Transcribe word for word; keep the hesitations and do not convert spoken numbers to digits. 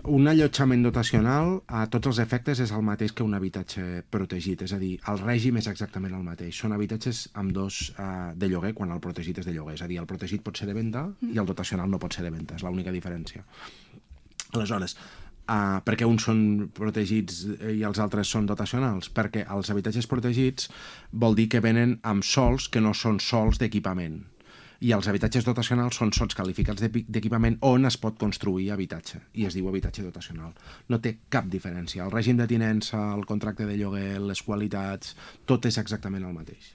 un allotjament dotacional, a tots els efectes, és el mateix que un habitatge protegit. És a dir, el règim és exactament el mateix. Són habitatges amb dos uh, de lloguer quan el protegit és de lloguer. És a dir, el protegit pot ser de venda mm. i el dotacional no pot ser de venda. És l'única diferència. Aleshores, uh, per què uns són protegits i els altres són dotacionals? Perquè els habitatges protegits vol dir que venen amb sols que no són sols d'equipament. I els habitatges dotacionals són sols qualificats d'equipament on es pot construir habitatge, i es diu habitatge dotacional. No té cap diferència. El règim de tinença, el contracte de lloguer, les qualitats, tot és exactament el mateix.